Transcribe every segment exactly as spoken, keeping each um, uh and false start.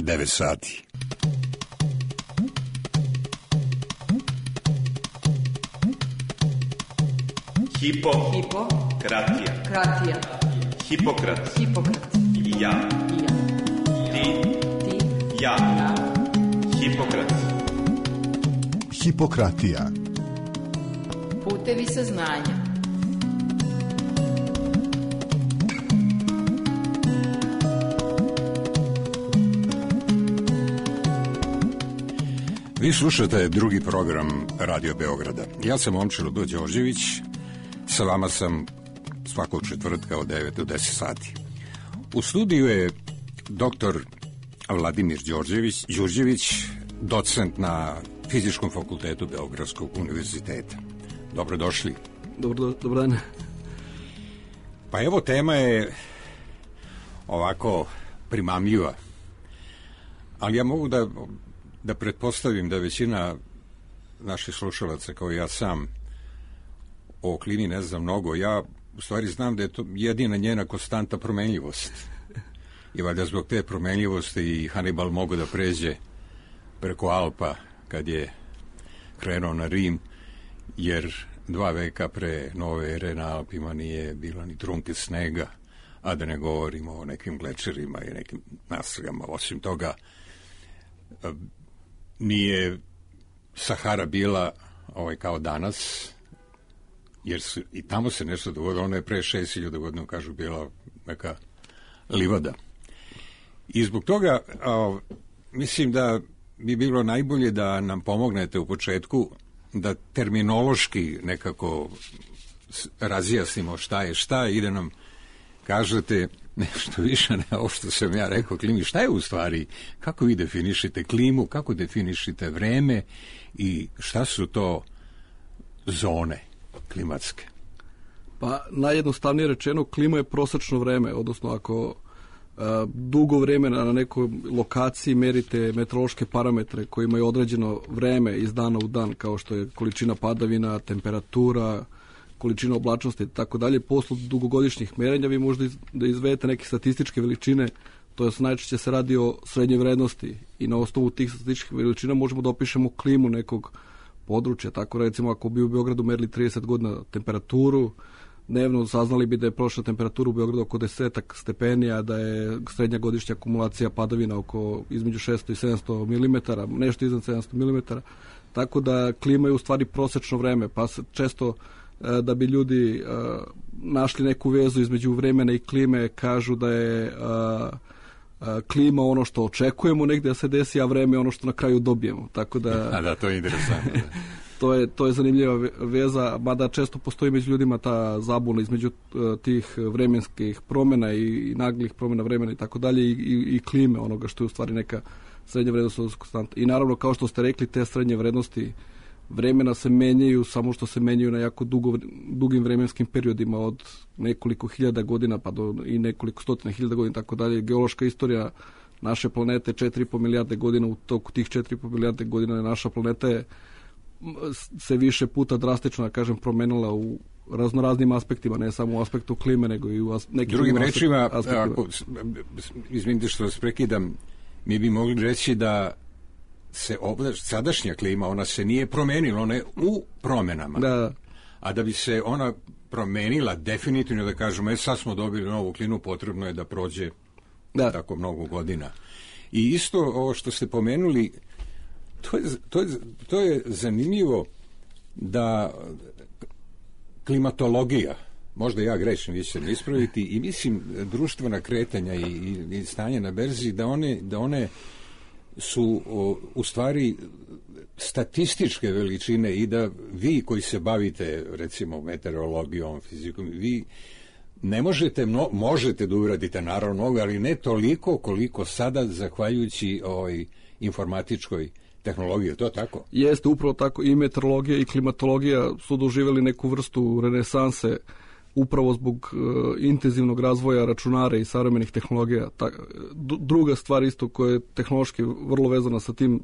devet sati. Hipo, Hipo, kratija, kratija, Hipokrat, Hipokrat, i ja, i ja, ti, ti, ja, ja, Hipokrat. Hipokratija. putevi saznanja. Vi slušate drugi program Radio Beograda. Ja sam Momčilo Đorđević, sa vama sam svakog četvrtka od devet do deset sati. U studiju je doktor Vladimir Đorđević, Đurđević, docent na Fizičkom fakultetu Beogradskog univerziteta. Dobrodošli. Dobro, dobro dan. Pa evo, tema je ovako primamljiva, ali ja mogu da da pretpostavim da većina naših slušalaca, kao ja sam, o klimi ne znam mnogo. Ja u stvari znam da je to jedina njena konstanta promenljivost. I valjda zbog te promenljivosti i Hannibal mogu da pređe preko Alpa kad je krenuo na Rim, jer dva veka pre nove ere na Alpima nije bilo ni trunke snega, a da ne govorimo o nekim glečerima i nekim nastragama. Osim toga, nije Sahara bila ovaj, kao danas, jer su, i tamo se nešto dogodilo. Ona je pre šest hiljada godina, kažu, bila neka livada. I zbog toga a, mislim da bi bilo najbolje da nam pomognete u početku da terminološki nekako razjasnimo šta je šta i da nam kažete nešto više ne ovo što sam ja rekao klimi. Šta je u stvari, kako vi definišite klimu, kako definišite vreme i šta su to zone klimatske? Pa najjednostavnije rečeno, klima je prosečno vreme, odnosno ako a, dugo vremena na nekoj lokaciji merite meteorološke parametre koji imaju određeno vreme iz dana u dan, kao što je količina padavina, temperatura, količina oblačnosti i tako dalje, posle dugogodišnjih merenja vi možda iz, da izvedete neke statističke veličine, to je najčešće se radi o srednjoj vrednosti i na osnovu tih statističkih veličina možemo da opišemo klimu nekog područja. Tako recimo ako bi u Beogradu merili trideset godina temperaturu, dnevno saznali bi da je prošla temperatura u Beogradu oko desetak stepenija, da je srednja godišnja akumulacija padavina oko između šesto i sedamsto milimetara, nešto iznad sedamsto milimetara, tako da klima je u stvari prosečno vreme, pa se često da bi ljudi uh, našli neku vezu između vremena i klime, kažu da je uh, uh, klima ono što očekujemo negde da se desi, a vreme je ono što na kraju dobijemo. Tako da, a da, to je interesantno. to, je, to je zanimljiva veza, mada često postoji među ljudima ta zabuna između uh, tih vremenskih promjena i, i naglih promjena vremena i tako dalje i, i, i klime, onoga što je u stvari neka srednja vrednost konstanta. I naravno, kao što ste rekli, te srednje vrednosti vremena se menjaju, samo što se menjaju na jako dugo, dugim vremenskim periodima od nekoliko hiljada godina pa do i nekoliko stotina hiljada godina, tako dalje. Geološka istorija naše planete četiri i po milijarde godina, u toku tih četiri i po milijarde godina naša planeta je se više puta drastično, da kažem, promenila u raznoraznim aspektima, ne samo u aspektu klime, nego i u as, nekim drugim rečima, ako, izvinite što vas prekidam, mi bi mogli reći da se oblač, sadašnja klima, ona se nije promenila, ona je u promenama. Da. A da bi se ona promenila definitivno, da kažemo, e, sad smo dobili novu klimu, potrebno je da prođe da. tako mnogo godina. I isto ovo što ste pomenuli, to je, to je, to je zanimljivo da klimatologija, možda ja grešim, vi ćete me ispraviti, i mislim društvena kretanja i, i, i stanje na berzi, da one, da one su o, u stvari statističke veličine i da vi koji se bavite recimo meteorologijom, fizikom, vi ne možete, mno, možete da uradite naravno mnogo, ali ne toliko koliko sada zahvaljujući ovoj informatičkoj tehnologiji, to tako? Jeste, upravo tako, i meteorologija i klimatologija su doživjeli neku vrstu renesanse upravo zbog uh, intenzivnog razvoja računara i savremenih tehnologija. Ta, druga stvar isto koja je tehnološki vrlo vezana sa tim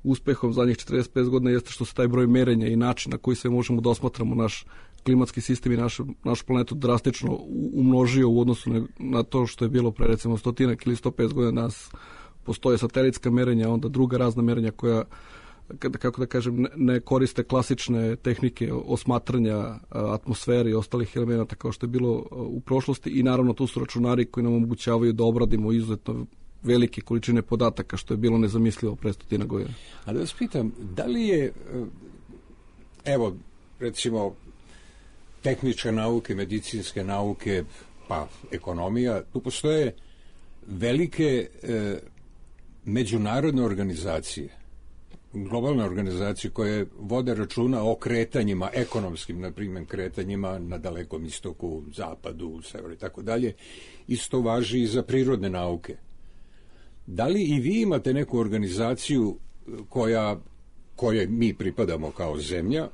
uspehom zadnjih četrdeset pet godina jeste što se taj broj merenja i način na koji se možemo da osmatramo naš klimatski sistem i naš, naš planetu drastično umnožio u odnosu na, na to što je bilo pre recimo stotinak ili sto pedeset godina. Nas postoje satelitska merenja, onda druga razna merenja koja, kako da kažem, ne koriste klasične tehnike osmatranja atmosfere i ostalih elemenata kao što je bilo u prošlosti, i naravno tu su računari koji nam omogućavaju da obradimo izuzetno velike količine podataka, što je bilo nezamislivo pre stotina godina. A da vas pitam, da li je, evo, recimo, tehničke nauke, medicinske nauke, pa ekonomija, tu postoje velike e, međunarodne organizacije, globalne organizacije koje vode računa o kretanjima, ekonomskim, na primjer, kretanjima na Dalekom istoku, zapadu, severu i tako dalje. Isto važi i za prirodne nauke. Da li i vi imate neku organizaciju koja, koje mi pripadamo kao zemlja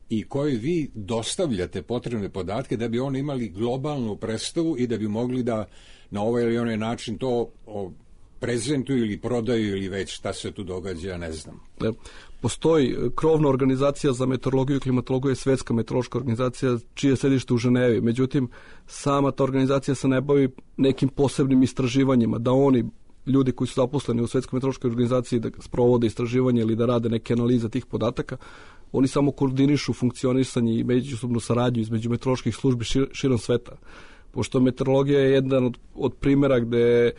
i koje vi dostavljate potrebne podatke da bi oni imali globalnu predstavu i da bi mogli da na ovaj ili onaj način to o, prezentuju ili prodaju ili već šta se tu događa, ne znam. Postoji krovna organizacija za meteorologiju i klimatologiju, je Svetska meteorološka organizacija, čije je sedište u Ženevi. Međutim, sama ta organizacija se ne bavi nekim posebnim istraživanjima, da oni, ljudi koji su zaposleni u Svetskoj meteorološkoj organizaciji, da sprovode istraživanje ili da rade neke analize tih podataka, oni samo koordinišu funkcionisanje i međusobnu saradnju između meteoroloških službi šir, širom sveta. Pošto meteorologija je jedan od, od primjera gde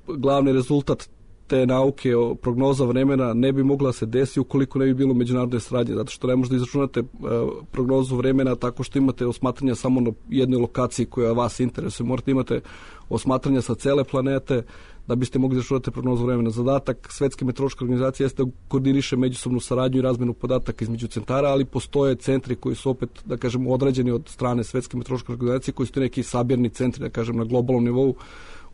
glavni rezultat te nauke o prognoza vremena ne bi mogla se desiti ukoliko ne bi bilo međunarodne saradnje, zato što ne možete izračunate uh, prognozu vremena tako što imate osmatranja samo na jednoj lokaciji koja vas interesuje. Morate imate osmatranja sa cele planete da biste mogli izračunati prognozu vremena. Zadatak Svetske meteorološke organizacije jeste da koordiniše međusobnu saradnju i razmenu podataka između centara, ali postoje centri koji su opet, da kažem, određeni od strane Svetske meteorološke organizacije, koji su neki sabirni centri, da kažem, na globalnom nivou,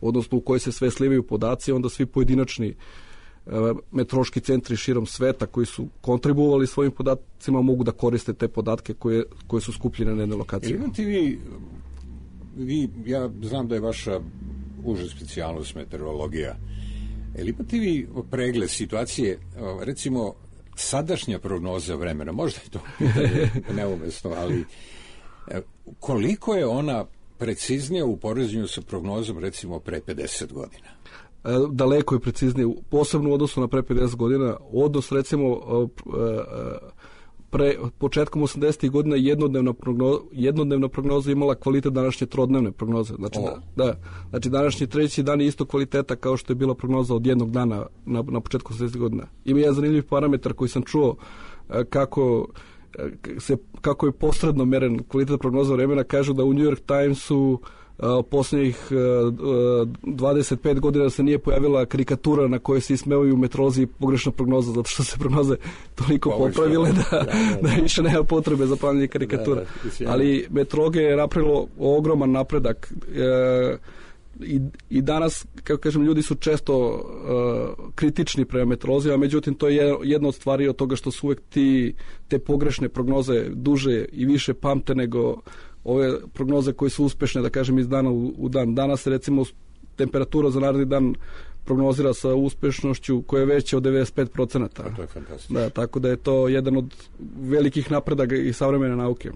odnosno u kojoj se sve slivaju podaci, onda svi pojedinačni e, meteorološki centri širom sveta koji su kontribuovali svojim podacima mogu da koriste te podatke koje, koje su skupljene na jednoj lokaciji. Imate vi, vi, ja znam da je vaša uža specijalnost meteorologija, ali imate vi pregled situacije, recimo sadašnja prognoza vremena, možda je to neumesno, ali koliko je ona preciznije u poređenju sa prognozom recimo pre pedeset godina? Daleko je preciznije, posebno u odnosu na pre pedeset godina. Odnos recimo pre, početkom osamdesetih godina jednodnevna prognoza, jednodnevna prognoza imala kvalitet današnje trodnevne prognoze. Znači, da, da, znači današnji treći dan je isto kvaliteta kao što je bila prognoza od jednog dana na, na početku osamdesetih godina. Ima jedan zanimljiv parametar koji sam čuo kako se, kako je posredno meren kvalitet prognoza vremena. Kažu da u New York Timesu u posljednjih dvadeset pet godina se nije pojavila karikatura na kojoj se ismevaju meteorolozi pogrešna prognoza, zato što se prognoze toliko popravile da, da više nema potrebe za pravljanje karikatura. Ali meteorologija je napravilo ogroman napredak. I, i danas, kako kažem, ljudi su često uh, kritični prema meteorolozima, međutim to je jedna od stvari od toga što su uvek ti, te pogrešne prognoze duže i više pamte nego ove prognoze koje su uspešne, da kažem, iz dana u, u dan. Danas recimo temperatura za naredni dan prognozira sa uspešnošću koja je veća od devedeset pet procenata. To je fantastično. Da, tako da je to jedan od velikih napredaka i savremene nauke.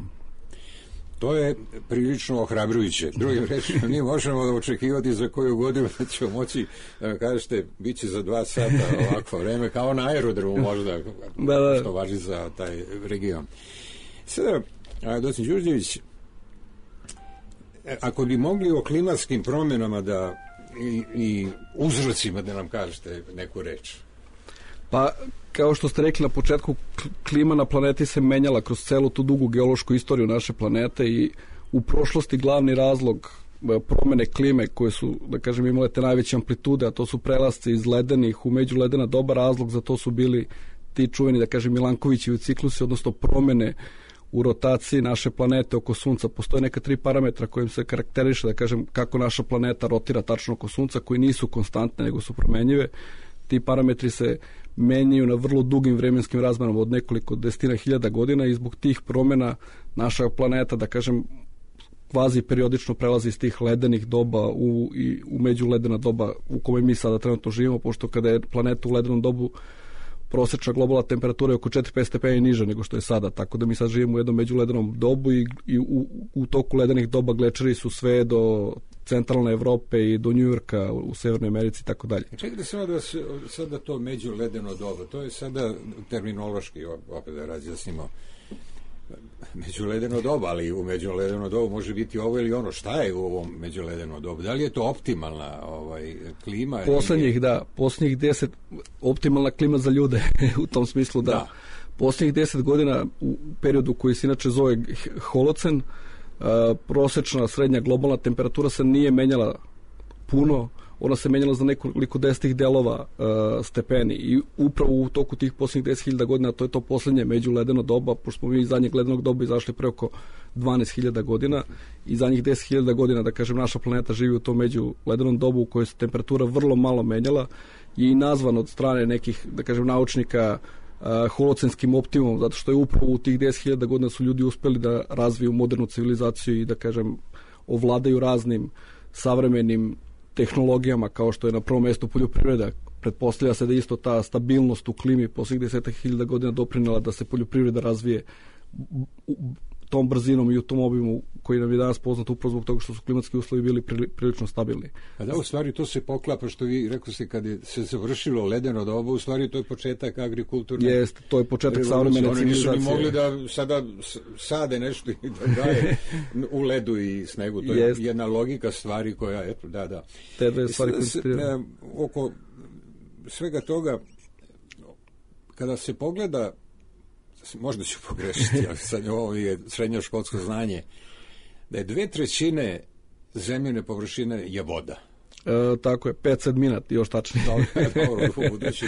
To je prilično ohrabrujuće. Drugim rečima, mi možemo da očekivati za koju godinu da ćemo moći, da kažete, bit će za dva sata ovakvo vreme, kao na aerodromu možda, da, da. Što važi za taj region. Sada, docent Đurđević, ako bi mogli o klimatskim promjenama da i, i uzrocima da nam kažete neku reč. Pa, kao što ste rekli na početku, klima na planeti se menjala kroz celu tu dugu geološku istoriju naše planete i u prošlosti glavni razlog promene klime koje su, da kažem, imale te najveće amplitude, a to su prelasci iz ledenih u međuledena doba, razlog za to su bili ti čuveni, da kažem, Milankovićevi ciklusi, odnosno promene u rotaciji naše planete oko Sunca. Postoje neka tri parametra kojim se karakteriše, da kažem, kako naša planeta rotira tačno oko Sunca, koji nisu konstantne, nego su promenjive. Ti parametri se menjaju na vrlo dugim vremenskim razmanama od nekoliko desetina hiljada godina i zbog tih promjena naša planeta, da kažem, kvazi periodično prelazi iz tih ledenih doba u, i, u međuledena doba u kome mi sada trenutno živimo, pošto kada je planeta u ledenom dobu prosječna globalna temperatura je oko četiri do pet stepeni niža nego što je sada, tako da mi sad živimo u jednom međuledenom dobu i, i u, u toku ledenih doba glečeri su sve do centralne Evrope i do Njujorka u Severnoj Americi i tako dalje. Čekajte samo da se, sada to međuledeno doba, to je sada terminološki, opet da razjasnimo, međuledeno doba, ali u međuledeno dobu može biti ovo ili ono. Šta je u ovom međuledeno dobu? Da li je to optimalna ovaj, klima? Poslednjih, da, poslednjih deset, optimalna klima za ljude, u tom smislu da. da. Poslednjih deset godina, u periodu koji se inače zove holocen, uh, prosečna srednja globalna temperatura se nije menjala puno, ona se menjala za nekoliko desetih delova uh, stepeni i upravo u toku tih posljednjih deset hiljada godina, to je to poslednje međuledeno doba, pošto smo mi iz zadnjeg ledenog doba izašli pre oko dvanaest hiljada godina i zadnjih deset hiljada godina, da kažem, naša planeta živi u tom međuledenom dobu u kojoj se temperatura vrlo malo menjala i nazvan od strane nekih, da kažem, naučnika uh, holocenskim optimumom, zato što je upravo u tih deset hiljada godina su ljudi uspeli da razviju modernu civilizaciju i, da kažem, ovladaju raznim savremenim tehnologijama, kao što je na prvom mjestu poljoprivreda. Pretpostavlja se da isto ta stabilnost u klimi posljednjih desetak hiljada godina doprinela da se poljoprivreda razvije tom brzinom i u tom obimu koji nam je danas poznat upravo zbog toga što su klimatski uslovi bili prilično stabilni. A da, u stvari to se poklapa, što vi rekli ste, kad je se završilo ledeno doba, u stvari to je početak agrikulturne. Jeste, to je početak savremene civilizacije. Oni nisu ni mogli da sada sade nešto i da daje u ledu i snegu. To je Jest. jedna logika stvari koja, eto, da, da. Te dve stvari koje se ne, oko svega toga, kada se pogleda, možda ću pogrešiti, ali sad ovo je srednjoškolsko znanje, da je dve trećine zemljine površine je voda. E, tako je, pet sedmina, još tačnije. Dobro, u budući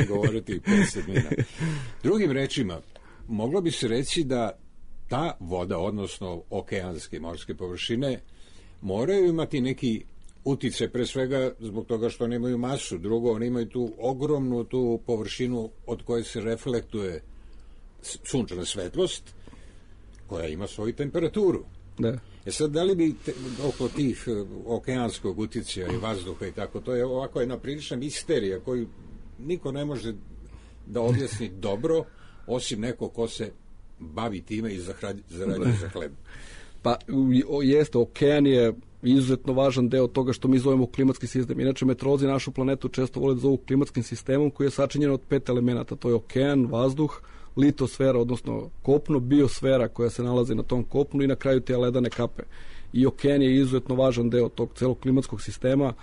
govoriti pet sedmina. Drugim rečima, moglo bi se reći da ta voda, odnosno okeanske morske površine, moraju imati neki uticaj, pre svega zbog toga što oni imaju masu. Drugo, oni imaju tu ogromnu tu površinu od koje se reflektuje sunčana svetlost, koja ima svoju temperaturu. Da. E sad, da li bi te, oko tih okeanskog uticaja i vazduha i tako, to je ovako jedna prilična misterija koju niko ne može da objasni dobro, osim neko ko se bavi time i zarađuje za hleb. Pa jeste, okean je izuzetno važan deo toga što mi zovemo klimatski sistem. Inače, meteorolozi našu planetu često vole da zovu klimatskim sistemom, koji je sačinjen od pet elemenata. To je okean, vazduh, litosfera, odnosno kopno, biosfera koja se nalazi na tom kopnu i na kraju te ledane kape. I okean je izuzetno važan deo tog celog klimatskog sistema.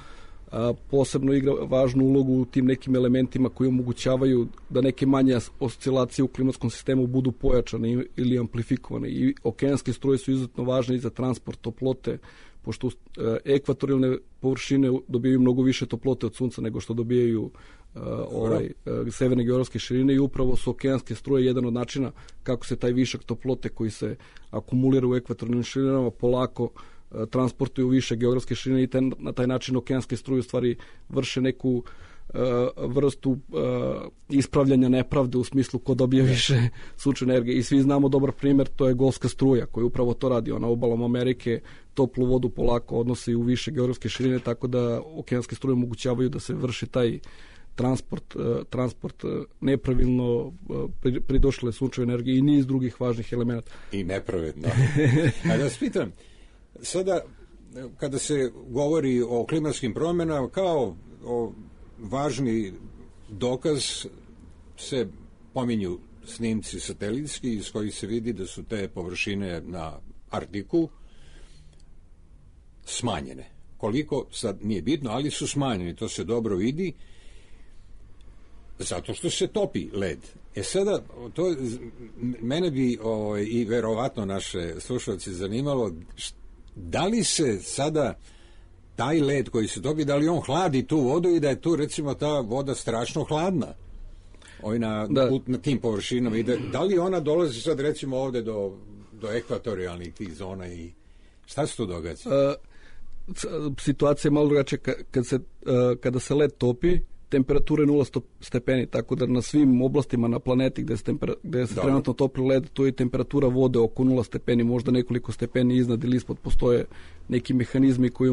A, posebno igra važnu ulogu u tim nekim elementima koji omogućavaju da neke manje oscilacije u klimatskom sistemu budu pojačane ili amplifikovane. I okeanske struje su izuzetno važne i za transport toplote, pošto e, ekvatorijalne površine dobijaju mnogo više toplote od sunca nego što dobijaju uh, ovaj, uh, severne geografske širine i upravo su okeanske struje jedan od načina kako se taj višak toplote koji se akumulira u ekvatorijalnim širinama polako uh, transportuje u više geografske širine i ten, na taj način okeanske struje u stvari vrše neku uh, vrstu uh, ispravljanja nepravde u smislu ko dobije više sunčeve energije. I svi znamo dobar primjer, to je Golfska struja koja upravo to radi. Ona obalom Amerike toplu vodu polako odnosi u više geografske širine, tako da okeanske struje omogućavaju da se vrši taj transport, uh, transport uh, nepravilno uh, pridošle sunčeve energije i niz drugih važnih elemenata. I nepravedno. A da vas pitam, sada kada se govori o klimatskim promjenama, kao o važni dokaz se pominju snimci satelitski iz kojih se vidi da su te površine na Arktiku smanjene. Koliko, sad nije bitno, ali su smanjeni, to se dobro vidi, zato što se topi led. E sada, to mene bi o, i verovatno naše slušalci zanimalo, da li se sada taj led koji se topi, da li on hladi tu vodu i da je tu recimo ta voda strašno hladna ovaj na, u, na tim površinama i da, da li ona dolazi sad recimo ovde do, do ekvatorijalnih tih zona i šta se tu događa? Uh, situacija je malo drugačija kad se, uh, kada se led topi, temperatura je nula stepeni, tako da na svim oblastima na planeti gde se, tempera, gde se trenutno topi led, to je temperatura vode oko nula stepeni, možda nekoliko stepeni iznad ili ispod, postoje neki mehanizmi koji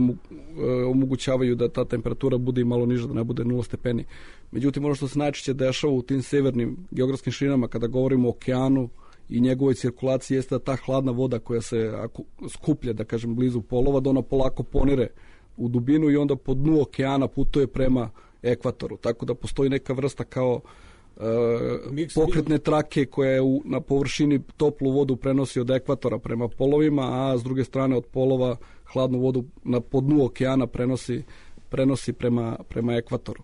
omogućavaju da ta temperatura bude i malo niža, da ne bude nula stepeni. Međutim, ono što se najčešće dešava u tim severnim geografskim širinama, kada govorimo o okeanu i njegovoj cirkulaciji jeste da ta hladna voda koja se aku, skuplja, da kažem, blizu polova, da ona polako ponire u dubinu i onda po dnu okeana putuje prema ekvatoru. Tako da postoji neka vrsta kao e, pokretne trake koja je u, na površini toplu vodu prenosi od ekvatora prema polovima, a s druge strane od polova hladnu vodu na po dnu okeana prenosi, prenosi prema, prema ekvatoru.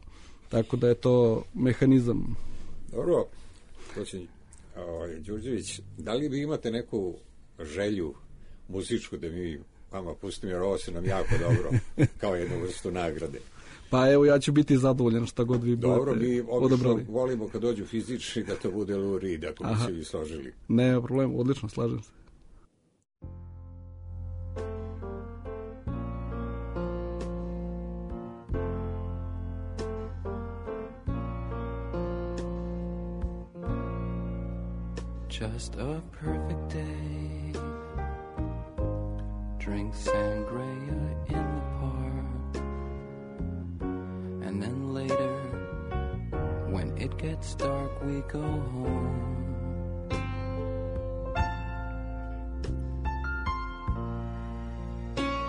Tako da je to mehanizam. Dobro, gospodin Đurđević, da li vi imate neku želju muzičku da mi vama pustimo, jer ovo se nam jako dobro kao jednu vrstu nagrade? Pa evo, ja ću biti zadovoljan šta god vi budete odabrali. Dobro, mi obično volimo kad dođu fizični da to bude Lou Reed, ako bi se vi složili. Ne, problem, odlično, slažem se. Just a perfect day. Drink sangria in the park. And then later, when it gets dark, we go home.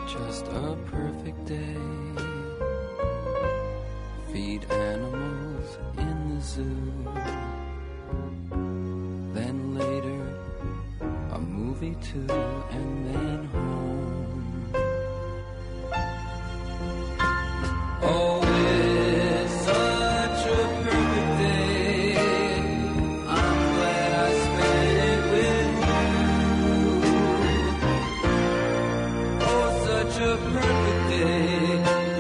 Just a perfect day. Feed animals in the zoo. Then later, a movie too, and then home. Oh, it's such a perfect day. I'm glad I spent it with you. Oh, such a perfect day.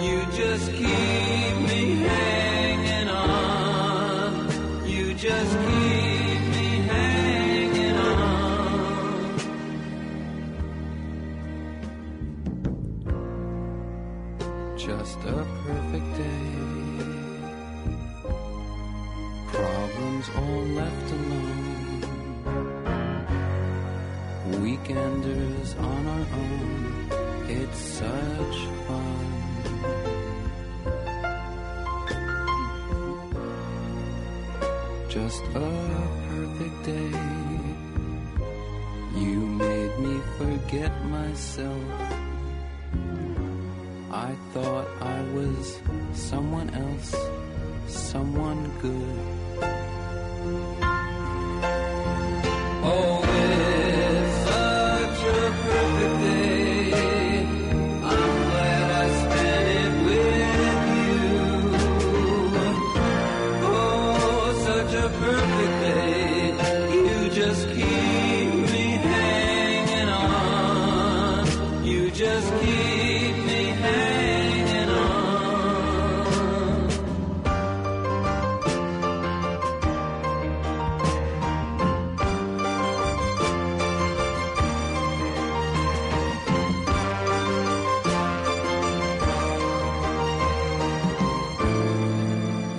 You just keep me hanging on. You just keep me hanging on. Just a perfect day. Problems all left alone. Weekenders on our own. It's such fun. Just a perfect day. You made me forget myself. I thought I was someone else, someone good. Oh, it's such a perfect day. I'm glad I spent it with you. Oh, such a perfect day. You just keep me hanging on. You just keep me hanging on.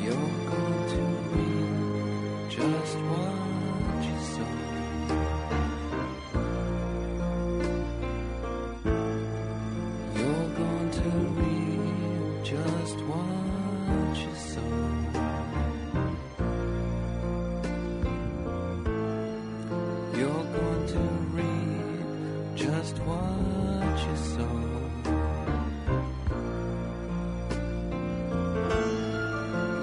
You're going to reap just what you sow. You're going to reap just what you sow. You're going to reap just what you sow.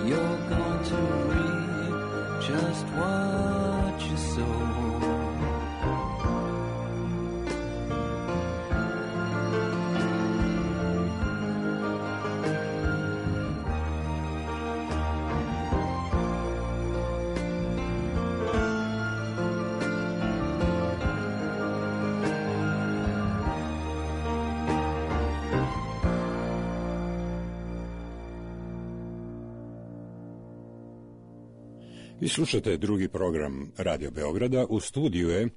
You're going to reap just what you sow. Vi slušate drugi program Radio Beograda. U studiju je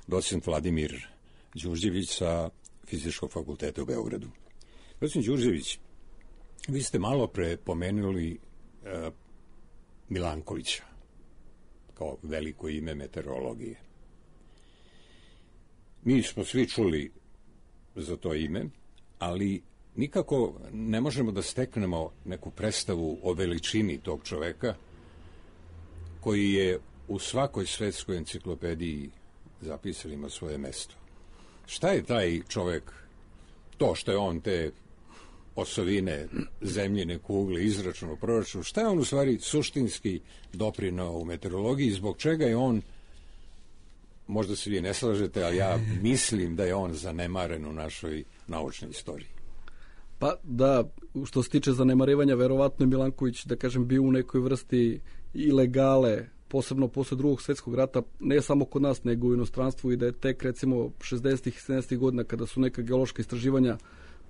docent Vladimir Đurđević sa Fizičkog fakulteta u Beogradu. Docent Đurđević, vi ste malo pre pomenuli uh, Milankovića kao veliko ime meteorologije. Mi smo svi čuli za to ime, ali nikako ne možemo da steknemo neku predstavu o veličini tog čoveka koji je u svakoj svetskoj enciklopediji zapisali, ima svoje mesto. Šta je taj čovek, to što je on te osovine zemljine kugle izračunao proračun, šta je on u stvari suštinski doprinao u meteorologiji, zbog čega je on, možda se vi ne slažete, ali ja mislim da je on zanemaren u našoj naučnoj istoriji. Pa da, što se tiče zanemarivanja, verovatno je Milanković, da kažem, bio u nekoj vrsti ilegale, posebno posle drugog svjetskog rata, ne samo kod nas, nego u inostranstvu, i da je tek recimo šezdesetih i sedamdesetih godina, kada su neka geološka istraživanja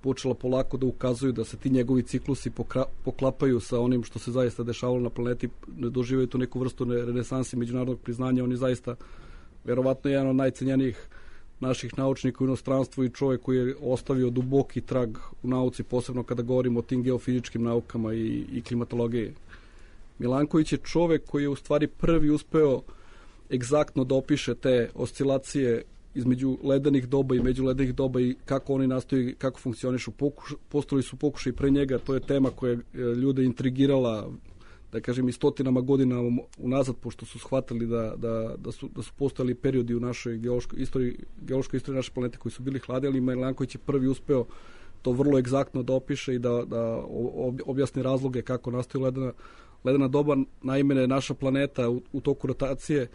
počela polako da ukazuju da se ti njegovi ciklusi pokra, poklapaju sa onim što se zaista dešavalo na planeti, ne doživaju tu neku vrstu renesansi međunarodnog priznanja. On je zaista verovatno jedan od najcenjenijih naših naučnika u inostranstvu i čovjek koji je ostavio duboki trag u nauci, posebno kada govorimo o tim geofizičkim naukama i, i klimatologiji. Milanković je čovjek koji je u stvari prvi uspeo egzaktno da opiše te oscilacije između ledenih doba i međuledenih doba i kako oni nastoji, kako funkcionišu. Pokuš, postojali su pokušaj pre njega, to je tema koja je ljude intrigirala, da kažem, i stotinama godina unazad, pošto su shvatili da, da, da, su, da su postojali periodi u našoj geološkoj istoriji, geološkoj istoriji naše planete koji su bili hladni, ali Milanković je prvi uspeo to vrlo egzaktno da opiše i da, da objasni razloge kako nastaju ledena, ledena doba. Naime, naša planeta u, u toku rotacije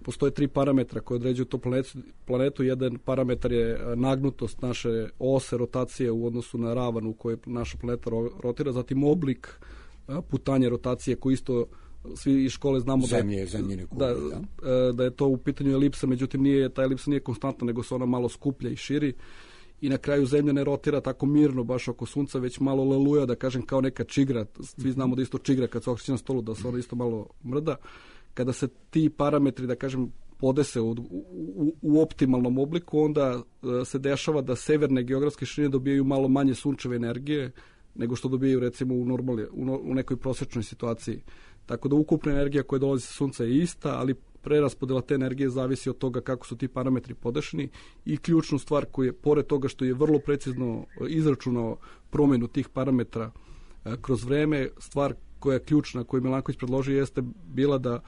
postoje tri parametra koje određuju to planetu, planetu. Jedan parametar je nagnutost naše ose rotacije u odnosu na ravan u kojoj naša planeta rotira, zatim oblik putanje rotacije koji isto svi iz škole znamo Zemlje, da, zemljine kugle, da, da. da je to u pitanju elipsa, međutim nije, ta elipsa nije konstantna, nego se ona malo skuplja i širi. I na kraju Zemlja ne rotira tako mirno baš oko Sunca, već malo leluja, da kažem, kao neka čigra. Svi znamo da isto čigra kad se okreće na stolu, da se ona isto malo mrda. Kada se ti parametri, da kažem, podese u, u, u optimalnom obliku, onda se dešava da severne geografske širine dobijaju malo manje sunčeve energije nego što dobijaju recimo u, normali, u, u nekoj prosječnoj situaciji. Tako da ukupna energija koja dolazi sa Sunca je ista, ali preraspodela te energije zavisi od toga kako su ti parametri podešeni. I ključnu stvar koja je, pored toga što je vrlo precizno izračunao promjenu tih parametra e, kroz vreme, stvar koja je ključna, koju Milanković predložio, jeste bila da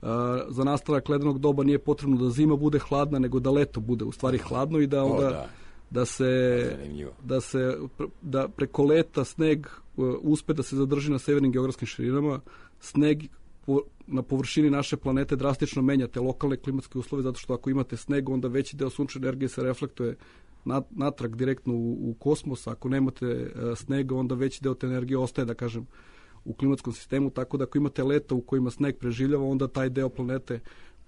a, za nastavak ledenog doba nije potrebno da zima bude hladna, nego da leto bude u stvari hladno i da onda... O, da. da se da se da preko leta sneg uh, uspe da se zadrži na severnim geografskim širinama. Sneg po, na površini naše planete drastično menja te lokalne klimatske uslove, zato što ako imate sneg, onda veći deo sunčeve energije se reflektuje nat, natrag direktno u, u kosmos. Ako nemate uh, snega, onda veći deo te energije ostaje, da kažem, u klimatskom sistemu, tako da ako imate leta u kojima sneg preživljava, onda taj deo planete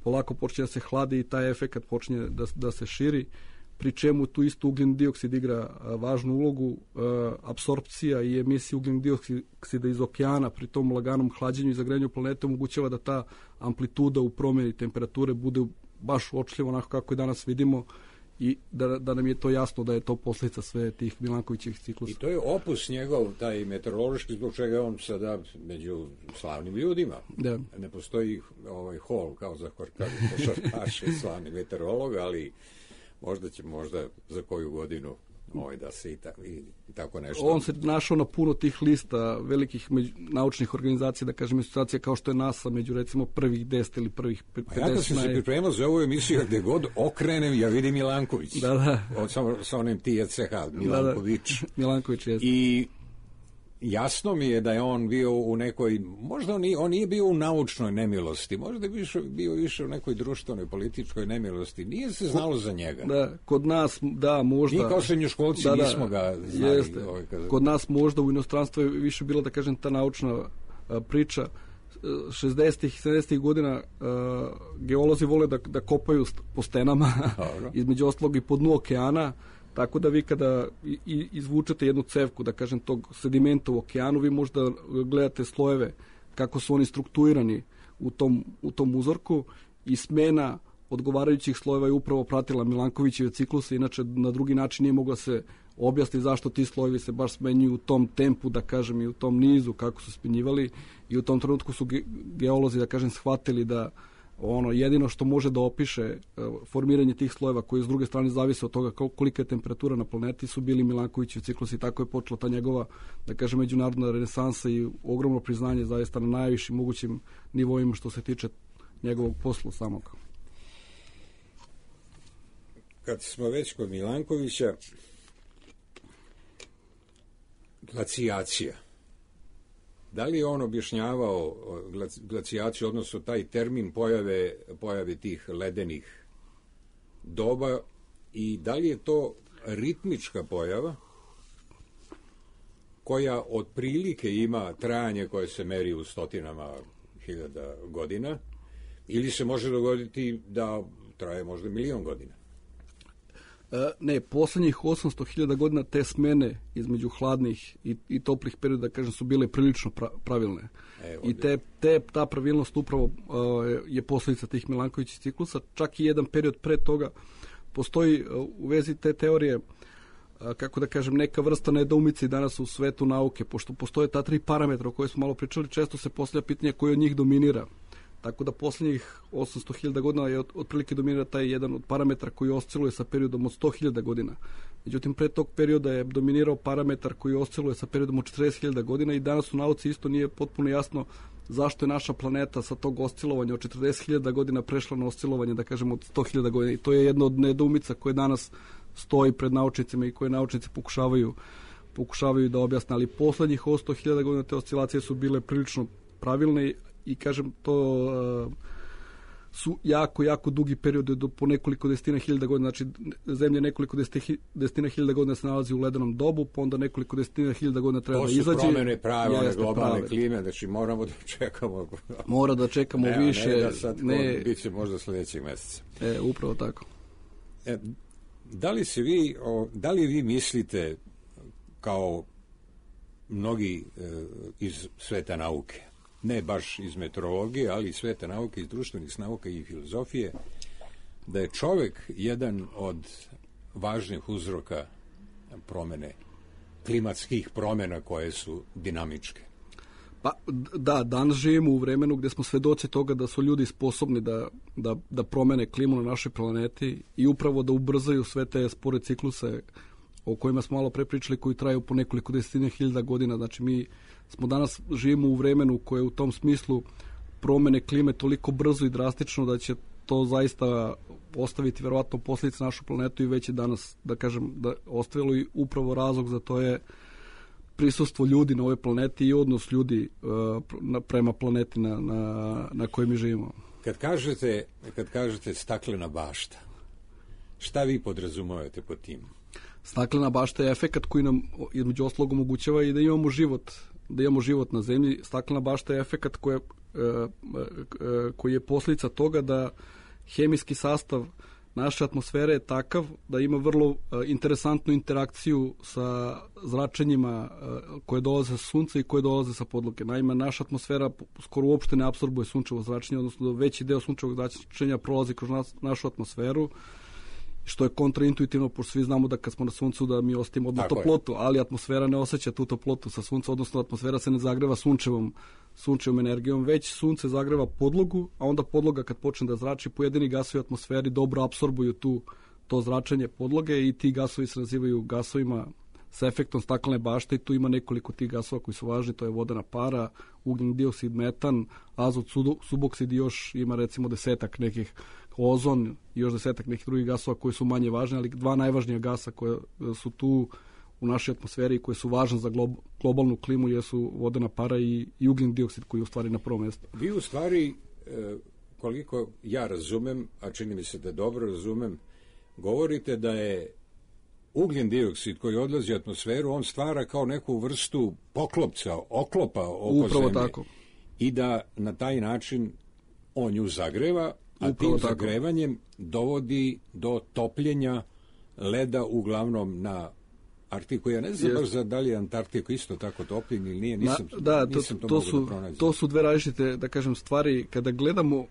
polako počne da se hladi i taj efekat počne da, da se širi, pri čemu tu isto ugljen dioksid igra važnu ulogu. E, apsorpcija i emisija ugljen dioksida iz okeana pri tom laganom hlađenju i zagrejanju planete omogućava da ta amplituda u promjeni temperature bude baš uočljivo onako kako je danas vidimo i da, da nam je to jasno da je to posljedica sve tih Milankovićevih ciklusa. I to je opus njegov, taj meteorološki, zbog čega je on sada među slavnim ljudima. Da. Ne postoji ovaj hol kao za košarkaše slavni meteorolog, ali možda će možda za koju godinu ovaj, da se i, ta, i, i tako nešto. On se našao na puno tih lista velikih među, naučnih organizacija, da kažem, institucija kao što je NASA, među recimo prvih deset ili prvih pedeset. Ja kad sam se pripremao za ovu emisiju, gde god okrenem, ja vidim Milanković. Da, da. Od, sa, sa onim T C H, Milanković. Da, da. Milanković, jeste. I jasno mi je da je on bio u nekoj, možda on nije, on nije bio u naučnoj nemilosti, možda je bio, bio više u nekoj društvenoj, političkoj nemilosti. Nije se znalo za njega. Da, kod nas, da, možda. Nije kao srednjoškolci, da, nismo ga znali. Jeste. Ovaj, kada... Kod nas možda u inostranstvu je više bila, da kažem, ta naučna a, priča. šezdesetih i sedamdesetih godina a, geolozi vole da, da kopaju po stenama, između ostalog i po dnu okeana. Tako da vi kada izvučete jednu cevku, da kažem, tog sedimenta u okeanu, vi možda gledate slojeve kako su oni strukturirani u tom, u tom uzorku i smena odgovarajućih slojeva je upravo pratila Milankovićeve cikluse, inače na drugi način nije mogla se objasniti zašto ti slojevi se baš smenjuju u tom tempu, da kažem, i u tom nizu kako su smenjivali, i u tom trenutku su ge- geolozi, da kažem, shvatili da ono jedino što može da opiše formiranje tih slojeva koji s druge strane zavise od toga kolika je temperatura na planeti su bili Milankovićevi ciklusi, i tako je počela ta njegova, da kažem, međunarodna renesansa i ogromno priznanje zaista na najvišim mogućim nivoima što se tiče njegovog posla samog. kad smo već kod Milankovića, glacijacija. Da li je on objašnjavao glacijaciju, odnosno taj termin pojave, pojave tih ledenih doba, i da li je to ritmička pojava koja otprilike ima trajanje koje se meri u stotinama hiljada godina, ili se može dogoditi da traje možda milion godina? E, ne, poslednjih osamsto hiljada godina te smene između hladnih i, i toplih perioda, da kažem, su bile prilično pra, pravilne. E, I te, te, ta pravilnost upravo uh, je posljedica tih Milankovićih ciklusa. Čak i jedan period pre toga postoji uh, u vezi te teorije, uh, kako da kažem, neka vrsta nedoumice danas u svetu nauke, pošto postoje ta tri parametra o kojoj smo malo pričali, često se postavlja pitanje koji od njih dominira. Tako da poslednjih osamsto hiljada godina je otprilike dominira taj jedan od parametra koji osciluje sa periodom od sto hiljada godina. Međutim, pre tog perioda je dominirao parametar koji osciluje sa periodom od četrdeset hiljada godina i danas u nauci isto nije potpuno jasno zašto je naša planeta sa tog oscilovanja od četrdeset hiljada godina prešla na oscilovanje, da kažemo, od sto hiljada godina. I to je jedna od nedoumica koje danas stoji pred naučnicima i koje naučnici pokušavaju, pokušavaju da objasne. Ali poslednjih sto hiljada godina te oscilacije su bile prilično pravilne i, kažem, to uh, su jako, jako dugi periodi do po nekoliko desetina hiljada godina. Znači, Zemlja nekoliko desetina hiljada godina se nalazi u ledenom dobu, pa onda nekoliko desetina hiljada godina treba da izađe. To su promene prave, one globalne prave klime, znači moramo da čekamo. Mora da čekamo ne, više. Ne, da sad ne, bit će možda sledećeg meseca. E, upravo tako. E, da li se vi, o, da li vi mislite, kao mnogi e, iz sveta nauke, ne baš iz meteorologije, ali iz sveta nauke, iz društvenih nauka i filozofije, da je čovek jedan od važnih uzroka promene, klimatskih promena koje su dinamičke? Pa da, danas živimo u vremenu gde smo svedoci toga da su ljudi sposobni da, da, da promene klimu na našoj planeti i upravo da ubrzaju sve te spore cikluse o kojima smo malo pre pričali, koji traju po nekoliko desetina hiljada godina. Znači, mi smo danas živimo u vremenu koje u tom smislu promene klime toliko brzo i drastično da će to zaista ostaviti verovatno posljedice našu planetu i već je danas, da kažem, da ostavilo i upravo razlog za to je prisustvo ljudi na ovoj planeti i odnos ljudi uh, prema planeti na, na, na kojoj mi živimo. Kad kažete, kad kažete staklena bašta, šta vi podrazumevate pod tim? Staklena bašta je efekat koji nam između ostalog omogućava i da imamo život, da imamo život na zemlji. Staklena bašta je efekat koji je, koji je posljedica toga da hemijski sastav naše atmosfere je takav da ima vrlo interesantnu interakciju sa zračenjima koje dolaze sa sunca i koje dolaze sa podloge. Naime, naša atmosfera skoro uopšte ne apsorbuje sunčevo zračenje, odnosno veći deo sunčevog zračenja prolazi kroz nas, našu atmosferu, što je kontraintuitivno, pošto svi znamo da kad smo na suncu da mi osjetimo odmah toplotu, ali atmosfera ne osjeća tu toplotu sa sunca, odnosno atmosfera se ne zagreva sunčevom, sunčevom energijom, već sunce zagreva podlogu, a onda podloga kad počne da zrači, pojedini gasovi u atmosferi dobro apsorbuju tu, to zračenje podloge i ti gasovi se nazivaju gasovima sa efektom staklene bašte i tu ima nekoliko tih gasova koji su važni, to je vodena para, ugljen dioksid, metan, azot, suboksid i još ima recimo desetak nekih, ozon i još desetak nekih drugih gasova koji su manje važni, ali dva najvažnija gasa koje su tu u našoj atmosferi i koje su važne za glob, globalnu klimu jesu vodena para i, i ugljen dioksid koji je u stvari na prvom mjestu. Vi u stvari, koliko ja razumem, a čini mi se da dobro razumem, govorite da je ugljen dioksid koji odlazi u atmosferu, on stvara kao neku vrstu poklopca, oklopa oko Upravo zemlje. Tako. I da na taj način on nju zagreva, a Upravo tim tako. zagrevanjem dovodi do topljenja leda uglavnom na Arktiku. Ja ne znam baš za da li je Antarktiku isto tako topljen ili nije, nisam, Na, da, to, nisam to, to, mogu su, da pronađem. To su dve različite, da kažem, stvari. Kada gledamo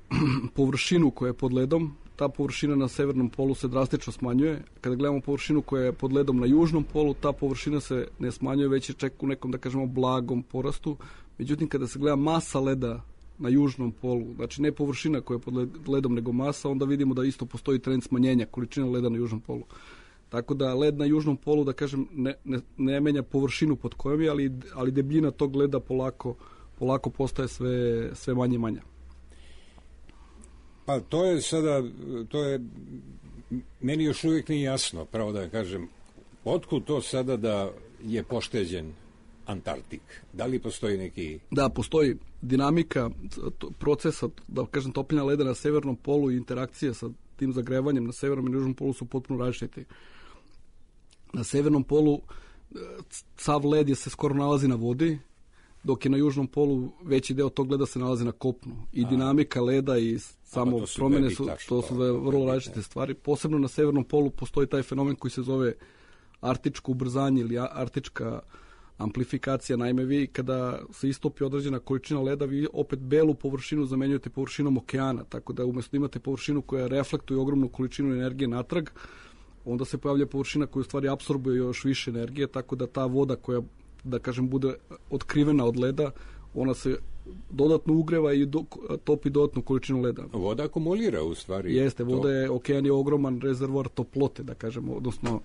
površinu koja je pod ledom, ta površina na severnom polu se drastično smanjuje. Kada gledamo površinu koja je pod ledom na južnom polu, ta površina se ne smanjuje, već je čak u nekom, da kažemo, blagom porastu. Međutim, kada se gleda masa leda na južnom polu, znači ne površina koja je pod ledom, nego masa, onda vidimo da isto postoji trend smanjenja količine leda na južnom polu. Tako da led na južnom polu, da kažem, ne, ne, ne menja površinu pod kojom je, ali, ali debljina tog leda polako, polako postaje sve, sve manje i manja. Pa to je sada, to je meni još uvijek nije jasno, pravo da kažem, otkud to sada da je pošteđen Antarktik? Da li postoji neki... Da, postoji dinamika procesa, da kažem, topljenja leda na severnom polu i interakcija sa tim zagrevanjem na severnom i južnom polu su potpuno različiti. Na severnom polu sav led je se skoro nalazi na vodi, dok je na južnom polu veći deo tog leda se nalazi na kopnu. I A. dinamika leda i samo su promjene su, to su vrlo različite stvari. Posebno na severnom polu postoji taj fenomen koji se zove artičko ubrzanje ili artička amplifikacija. Naime, vi kada se istopi određena količina leda, vi opet belu površinu zamenjujete površinom okeana, tako da umjesto da imate površinu koja reflektuje ogromnu količinu energije natrag, onda se pojavlja površina koja u stvari apsorbuje još više energije, tako da ta voda koja, da kažem, bude otkrivena od leda, ona se dodatno ugreva i do, topi dodatnu količinu leda. Voda akumulira u stvari. Jeste, voda je, okean je ogroman rezervoar toplote, da kažemo, odnosno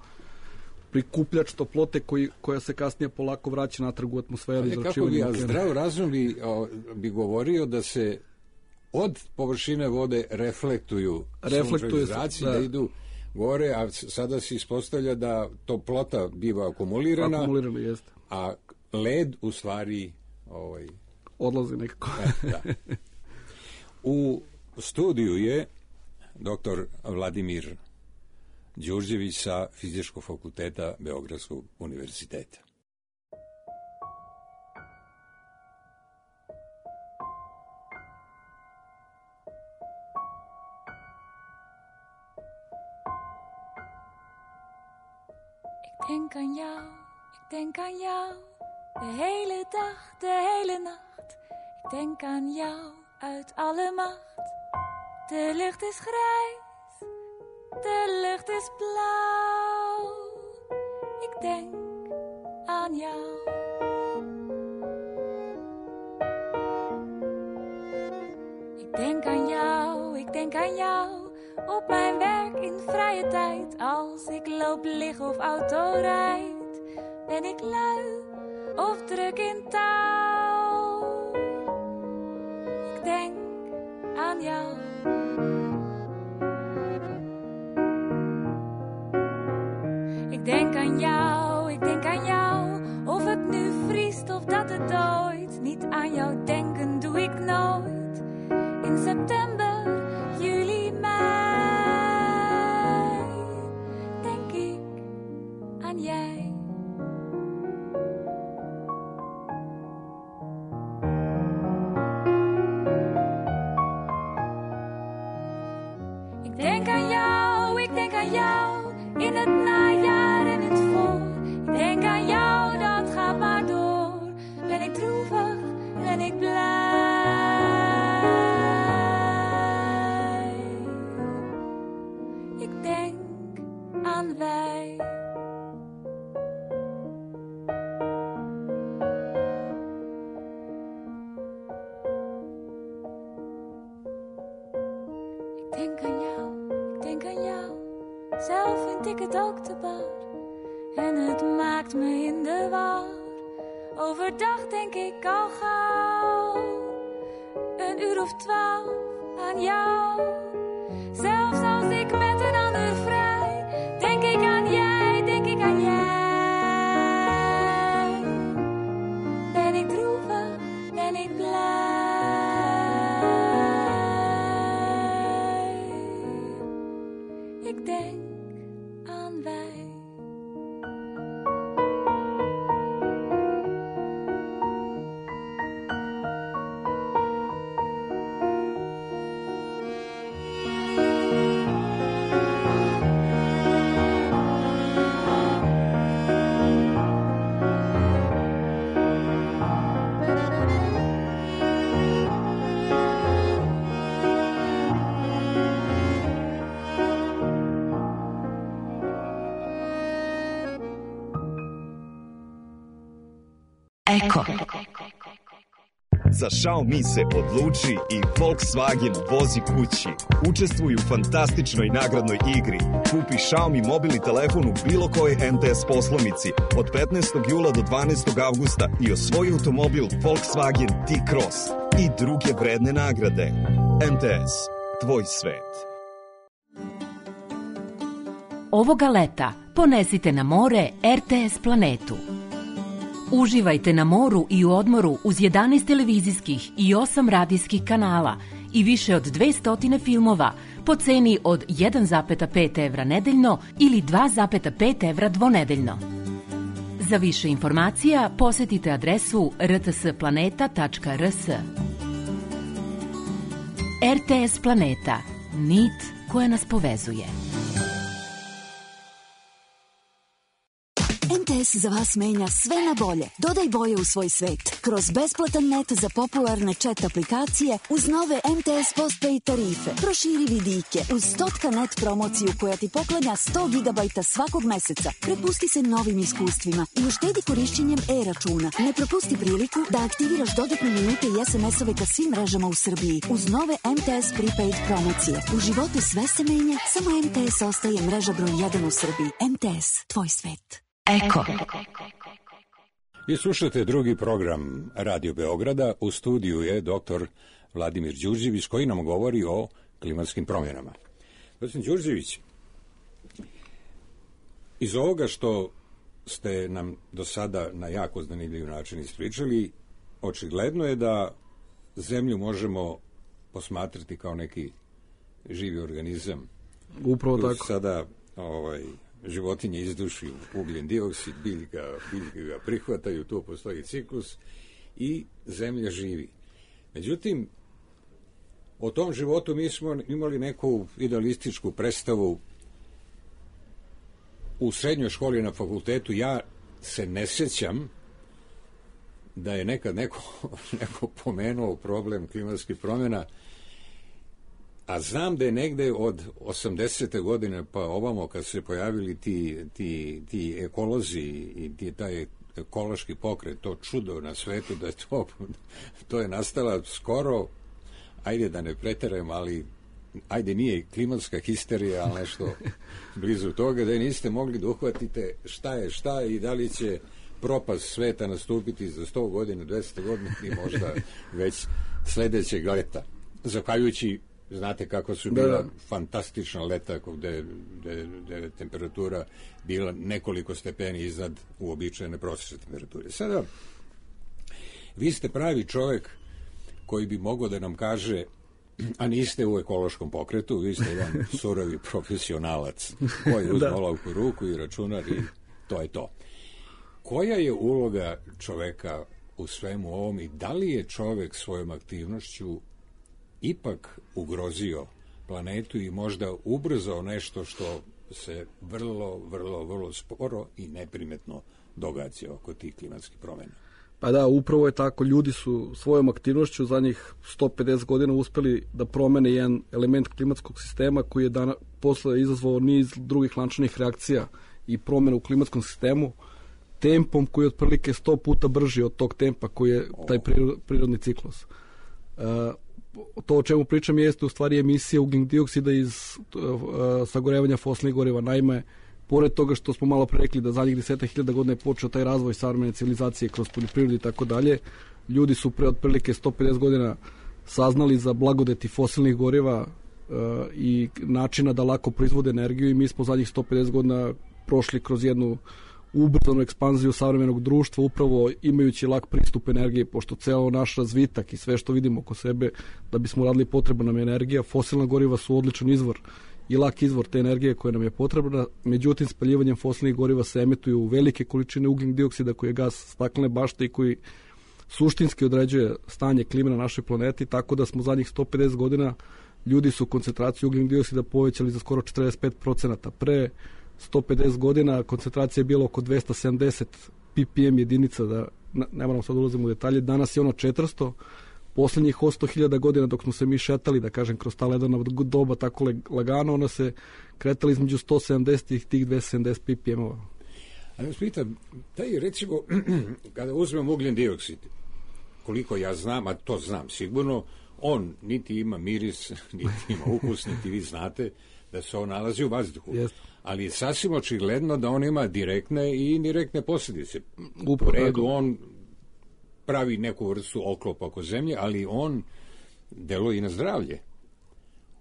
prikupljač toplote koji, koja se kasnije polako vraća natrag u atmosferu. Ali kako bi, a zdrav razum bi, o, bi govorio da se od površine vode reflektuju sunčevi zraci, da. da idu gore, a sada se ispostavlja da toplota biva akumulirana, akumulirana jeste. A led u stvari ovaj, odlazi nekako. E, da. U studiju je doktor Vladimir Đurđević sa Fizičkog fakulteta Beogradskog univerziteta. Ik denk aan jou, ik denk aan jou, de hele dag, de hele nacht. Ik denk aan jou uit alle macht. De lucht is grijs, de lucht is blauw. Ik denk aan jou. Ik denk aan jou, ik denk aan jou. Op mijn werk in vrije tijd. Als ik loop, lig of auto rijd. Ben ik lui of druk in touw. Ik denk aan jou. Ik denk aan jou, ik denk aan jou. Of het nu vriest of dat het dooit. Niet aan jou denken doe ik nooit. In september, juli, mei. Denk ik aan jij. Ik denk aan jou, ik denk aan jou. In het najaar en het voor. Ik denk aan jou, dat gaat maar door. Ben ik droevig, ben ik blij. Ik denk aan wij. Ik denk aan jou, ik denk aan jou. Zelf vind ik het ook te bar. En het maakt me in de war. Overdag denk ik al gauw. Een uur of twaalf aan jou. Zelfs als ik met een ander vrij. Denk ik aan jij, denk ik aan jij. Ben ik droevig, ben ik blij. Ik denk aan wij. Eko. Za Xiaomi se odluči i Volkswagen vozi kući. Učestvuj u fantastičnoj nagradnoj igri. Kupi Xiaomi mobilni telefon u bilo kojoj M T S poslovnici od petnaestog jula do dvanaestog avgusta i osvoji automobil Volkswagen T-Cross i druge vredne nagrade. M T S, tvoj svet. Ovoga leta ponesite na more R T S planetu. Uživajte na moru i u odmoru uz jedanaest televizijskih i osam radijskih kanala i više od dvesta filmova po ceni od jedan zarez pet evra nedeljno ili dva zarez pet evra dvonedeljno. Za više informacija posetite adresu r t s planeta tačka r s. R T S Planeta. Nit koja nas povezuje. M T S za vas menja sve na bolje. Dodaj boje u svoj svet. Kroz besplatan net za popularne chat aplikacije uz nove M T S postpaid tarife. Proširi vidike uz stotka net promociju koja ti poklanja sto gigabajta svakog meseca. Prepusti se novim iskustvima i uštedi korišćenjem e-računa. Ne propusti priliku da aktiviraš dodatne minute i es em es-ove ka svim mrežama u Srbiji uz nove M T S prepaid promocije. U životu sve se menja, samo M T S ostaje mreža broj jedan u Srbiji. M T S, tvoj svet. Eko. Vi slušate drugi program Radio Beograda. U studiju je doktor Vladimir Đurđević koji nam govori o klimatskim promjenama. Gospodin Đurđević, iz ovoga što ste nam do sada na jako zanimljiv način ispričali, očigledno je da Zemlju možemo posmatrati kao neki živi organizam. Upravo tako. Sada ovaj, životinje izduši ugljen dioksid, biljka, biljke ga prihvataju, tu postoji ciklus i Zemlja živi. Međutim, o tom životu mi smo imali neku idealističku predstavu u srednjoj školi na fakultetu. Ja se ne sjećam da je nekad neko, neko pomenuo problem klimatskih promjena, a znam da je negde od osamdesete godine pa ovamo kad se pojavili ti, ti, ti ekolozi i ti, taj ekološki pokret, to čudo na svetu, da je to, to je nastala skoro, ajde da ne preteram, ali ajde nije klimatska histerija, ali nešto blizu toga, da niste mogli da uhvatite šta je šta i da li će propast sveta nastupiti za sto godina, dvesta godina i možda već sledećeg leta. Zahvaljujući, znate kako su bila da. fantastična leta gde, gde, gde je temperatura bila nekoliko stepeni iznad uobičajene prosječne temperature. Sada, vi ste pravi čovek koji bi mogao da nam kaže, a niste u ekološkom pokretu, vi ste jedan surovi profesionalac koji uzme olovku u ruku i računar i to je to. Koja je uloga čoveka u svemu ovom i da li je čovek svojom aktivnošću ipak ugrozio planetu i možda ubrzao nešto što se vrlo, vrlo, vrlo sporo i neprimetno događa oko tih klimatskih promjena? Pa da, upravo je tako. Ljudi su svojom aktivnošću za njih sto pedeset godina uspeli da promene jedan element klimatskog sistema koji je dana, posle izazvao niz drugih lančanih reakcija i promjena u klimatskom sistemu tempom koji je otprilike sto puta brži od tog tempa koji je taj prirodni ciklus. Uh, to o čemu pričam jeste u stvari emisija ugljen dioksida iz uh, sagorevanja fosilnih goriva. Naime, pored toga što smo malo pre rekli da zadnjih desetak hiljada godina je počeo taj razvoj savremene civilizacije kroz poljoprivredu i tako dalje, ljudi su pre otprilike sto pedeset godina saznali za blagodeti fosilnih goriva uh, i načina da lako proizvode energiju i mi smo zadnjih sto pedeset godina prošli kroz jednu ubrzanu ekspanziju savremenog društva, upravo imajući lak pristup energije, pošto ceo naš razvitak i sve što vidimo oko sebe, da bismo radili potrebna nam energija, fosilna goriva su odličan izvor i lak izvor te energije koja nam je potrebna, međutim spaljivanjem fosilnih goriva se emituju velike količine ugljen dioksida koji je gas staklene bašte i koji suštinski određuje stanje klime na našoj planeti, tako da smo zadnjih sto pedeset godina ljudi su koncentraciju ugljen dioksida povećali za skoro četrdeset pet procenata. Pre sto pedeset godina koncentracija je bila oko dvesta sedamdeset ppm jedinica, da ne moramo sad ulazimo u detalje, danas je ono četiristo. Posljednjih osto hiljada godina dok smo se mi šetali, da kažem, kroz ta ledena doba tako lagano, ona se kretala između sto sedamdeset i tih dvesta sedamdeset ppm-ova. Ali vas pitam, taj recimo, kada uzmemo ugljen dioksid, koliko ja znam, a to znam sigurno, on niti ima miris, niti ima ukus, niti vi znate da se on nalazi u vazduhu. Yes. Ali je sasvim očigledno da on ima direktne i indirektne posljedice. U redu on pravi neku vrstu oklopa oko zemlje, ali on deluje i na zdravlje.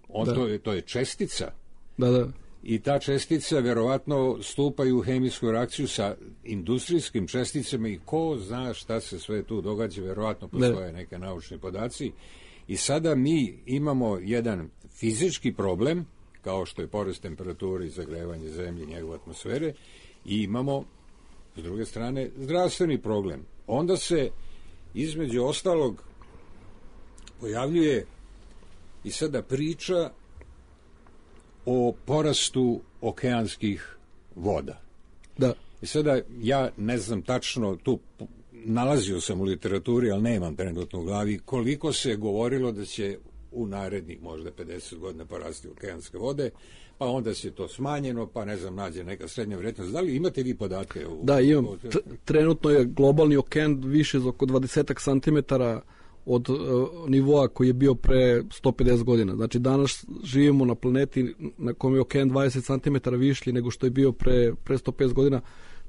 On to je, to je čestica da, da. i ta čestica verovatno stupa u hemijsku reakciju sa industrijskim česticama i ko zna šta se sve tu događa, verovatno postoje ne. neke naučni podaci. I sada mi imamo jedan fizički problem, kao što je porast temperature i zagrevanje zemlje i njegove atmosfere, i imamo, s druge strane, zdravstveni problem. Onda se, između ostalog, pojavljuje i sada priča o porastu okeanskih voda. Da. I sada ja ne znam tačno, tu nalazio sam u literaturi, ali nemam trenutno u glavi, koliko se govorilo da će u narednih možda pedeset godina porasti okeanske vode, pa onda se to smanjeno, pa ne znam, nađe neka srednja vrednost. Da li imate vi podatke? U, da, imam. T- trenutno je globalni okean više za oko dvadeset santimetara od uh, nivoa koji je bio pre sto pedeset godina. Znači, danas živimo na planeti na kojem je okean dvadeset santimetara višlji nego što je bio pre, pre sto pedeset godina.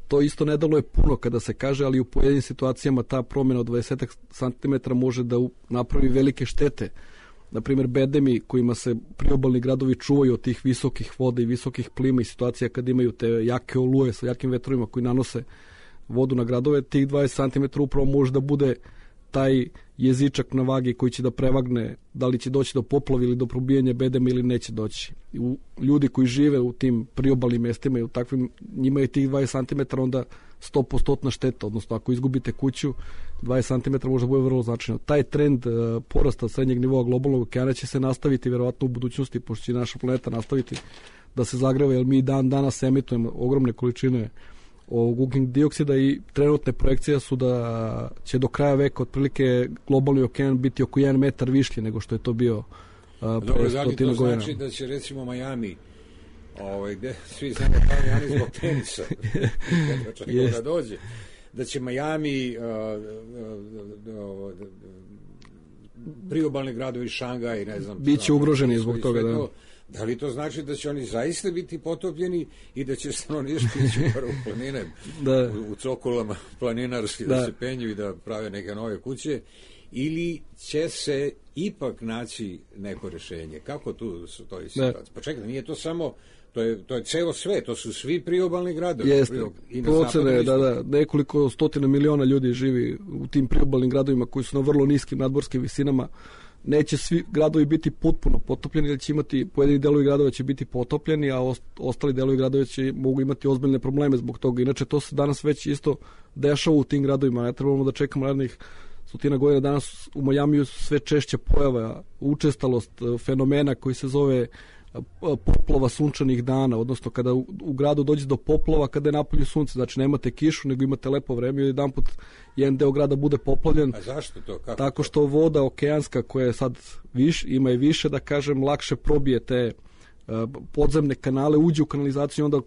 To isto ne dalo je puno kada se kaže, ali u pojedinim situacijama ta promjena od dvadeset santimetara može da napravi velike štete. Naprimjer, bedemi kojima se priobalni gradovi čuvaju od tih visokih voda i visokih plima i situacija kad imaju te jake oluje sa jakim vetrovima koji nanose vodu na gradove, tih dvadeset santimetara upravo može da bude taj jezičak na vagi koji će da prevagne da li će doći do poplave ili do probijanja bedema ili neće doći. U, ljudi koji žive u tim priobalnim mestima i u takvim, njima je tih dvadeset santimetara onda sto posto šteta, odnosno ako izgubite kuću, dvadeset santimetara može bude vrlo značajno. Taj trend uh, porasta srednjeg nivoa globalnog okeana će se nastaviti verovatno u budućnosti, pošto će naša planeta nastaviti da se zagreva, jer mi dan danas emitujemo ogromne količine ovog ugljičnog dioksida i trenutne projekcije su da će do kraja veka otprilike globalni okean biti oko jedan metar višlji nego što je to bio uh, pre stotina godina. To znači da će recimo Miami, ovaj, gde svi znamo Miami zbog tenisa, kada da dođe, da će Miami, uh, uh, uh, uh, priobalni gradovi Šangaj, ne znam, biće ugroženi zbog toga, da. To, da li to znači da će oni zaista biti potopljeni i da će stanovništvo ići u planine, da. u, u cokolama planinarski da. da se penju i da prave neke nove kuće, ili će se ipak naći neko rješenje? Kako tu su to situacije? Pa čekaj, nije to samo, to je, to je ceo sve, to su svi priobalni gradovi. Jeste, procene, da, da, nekoliko stotina miliona ljudi živi u tim priobalnim gradovima koji su na vrlo niskim nadmorskim visinama. Neće svi gradovi biti potpuno potopljeni, jer će imati, pojedini delovi gradova će biti potopljeni, a ostali delovi gradova će mogu imati ozbiljne probleme zbog toga. Inače, to se danas već isto dešava u tim gradovima. Ne trebamo da čekamo narednih stotina godina. Danas u Majamiju sve češće pojava učestalost fenomena koji se zove poplava sunčanih dana, odnosno kada u, u gradu dođe do poplava kada je napolju sunce, znači nemate kišu nego imate lepo vreme i jedanput jedan deo grada bude poplavljen. A zašto to? Kako tako to? Što voda okeanska koja je sad viš, ima i više, da kažem, lakše probije te uh, podzemne kanale, uđe u kanalizaciju i onda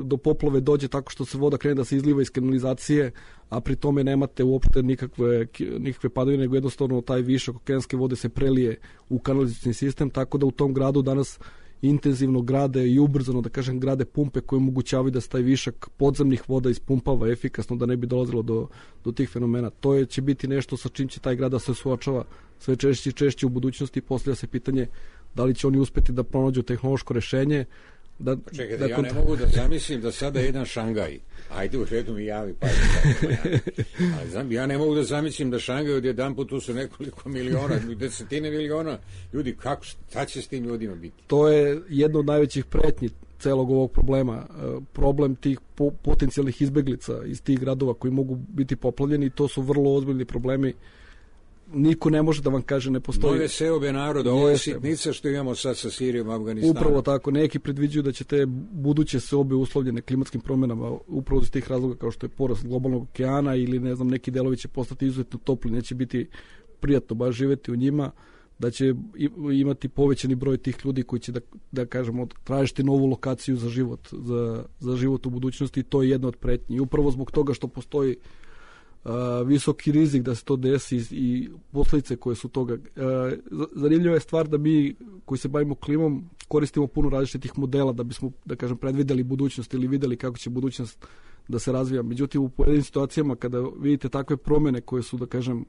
do poplave dođe tako što se voda krene da se izliva iz kanalizacije, a pri tome nemate uopšte nikakve, nikakve padavine, nego jednostavno taj višak okeanske vode se prelije u kanalizacijni sistem, tako da u tom gradu danas intenzivno grade i ubrzano, da kažem, grade pumpe koje omogućavaju da se taj višak podzemnih voda ispumpava efikasno, da ne bi dolazilo do, do tih fenomena. To je, će biti nešto sa čim će taj grad da se suočava sve češće i češće u budućnosti i postavlja se pitanje da li će oni uspeti da pronađu tehnološko rešenje. Da, pa čekaj, da ja ne mogu da zamislim da sada jedan Šangaj, ajde u redu mi javi, pa ali znam, ja ne mogu da zamislim da Šangaj od jedan put tu su nekoliko miliona, desetine miliona ljudi, kako, šta će s tim ljudima biti? To je jedno od najvećih pretnji celog ovog problema, problem tih po, potencijalnih izbeglica iz tih gradova koji mogu biti poplavljeni, to su vrlo ozbiljni problemi. Niko ne može da vam kaže ne postoji. Nove seobe naroda, ovo je sitnica što imamo sad sa Sirijom, Afganistanom. Upravo tako, neki predviđuju da će te buduće seobe uslovljene klimatskim promjenama upravo iz tih razloga kao što je porast globalnog okeana ili ne znam, neki delovi će postati izuzetno topli, neće biti prijatno baš živjeti u njima, da će imati povećani broj tih ljudi koji će da, da kažemo, tražiti novu lokaciju za život, za, za život u budućnosti i to je jedna od pretnji. I upravo zbog toga što postoji Uh, visoki rizik da se to desi i posljedice koje su toga. Uh, zanimljiva je stvar da mi koji se bavimo klimom koristimo puno različitih modela da bismo, da kažem, predvideli budućnost ili videli kako će budućnost da se razvija. Međutim, u pojedinim situacijama kada vidite takve promjene koje su, da kažem,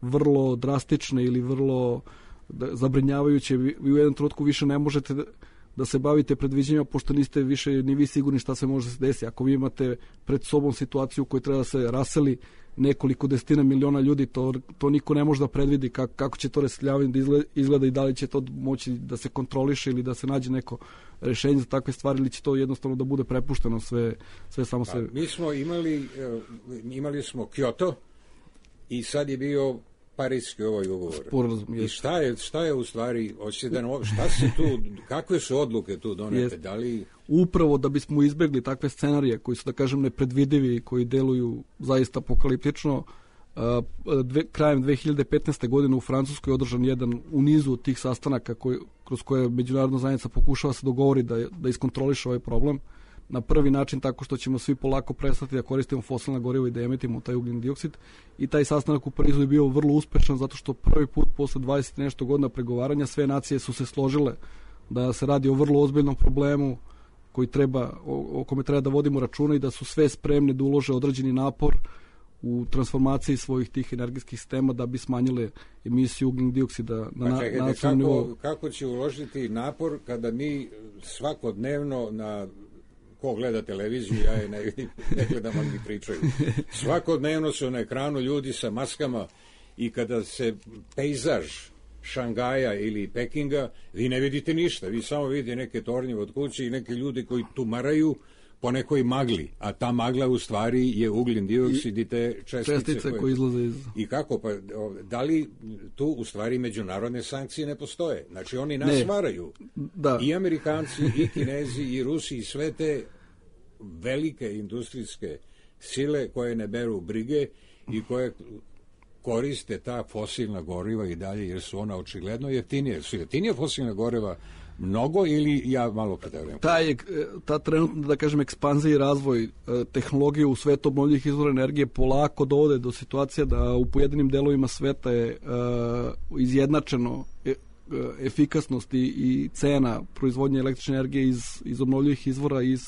vrlo drastične ili vrlo da, zabrinjavajuće, vi, vi u jednom trenutku više ne možete da, da se bavite predviđenjima, pošto niste više ni vi sigurni šta se može se desiti. Ako vi imate pred sobom situaciju u kojoj treba da se raseli nekoliko desetina miliona ljudi, to, to niko ne može da predvidi kako, kako će to raseljavanje da izgleda, izgleda i da li će to moći da se kontroliše ili da se nađe neko rešenje za takve stvari, ili će to jednostavno da bude prepušteno sve, sve samo sve. Mi smo imali, imali smo Kyoto i sad je bio Pariski ovaj ugovor. Sporazum, I šta je, šta je u stvari, šta se tu, kakve su odluke tu donete? Da li... Upravo da bismo izbegli takve scenarije koji su, da kažem, nepredvidivi i koji deluju zaista apokaliptično, dve, krajem dve hiljade petnaeste. godine u Francuskoj je održan jedan u nizu tih sastanaka koji, kroz koje međunarodna zajednica pokušava se dogovori da, da iskontroliše ovaj problem. Na prvi način tako što ćemo svi polako prestati da koristimo fosilna goriva i da emitimo taj ugljen dioksid. I taj sastanak u Parizu je bio vrlo uspešan zato što prvi put posle dvadeset nešto godina pregovaranja sve nacije su se složile da se radi o vrlo ozbiljnom problemu koji treba, o, o kome treba da vodimo računa i da su sve spremne da ulože određeni napor u transformaciji svojih tih energijskih sistema da bi smanjile emisiju ugljen dioksida na nacionalnom nivou. Kako će uložiti napor kada mi svakodnevno na ko gleda televiziju, ja je ne vidim, ne gledam, ali mi pričaju. Svakodnevno su na ekranu ljudi sa maskama i kada se pejzaž Šangaja ili Pekinga, vi ne vidite ništa, vi samo vidite neke tornjeve od kuće i neke ljudi koji tumaraju po nekoj magli, a ta magla u stvari je ugljen dioksid i te čestice, čestice koje, koje izlaze iz... I kako, pa da li tu u stvari međunarodne sankcije ne postoje? Znači oni nas ne. varaju. Da. I Amerikanci, i Kinezi, i Rusi, i sve te velike industrijske sile koje ne beru brige i koje koriste ta fosilna goriva i dalje, jer su ona očigledno jeftinije. Su jeftinije fosilna goriva mnogo ili ja malo preterujem? Ta, je, ta trenutna, da kažem, ekspanzija i razvoj tehnologije u svetu obnovljivih izvora energije polako dovode do situacije da u pojedinim delovima sveta je uh, izjednačeno e, efikasnost i, i cena proizvodnje električne energije iz, iz obnovljivih izvora iz,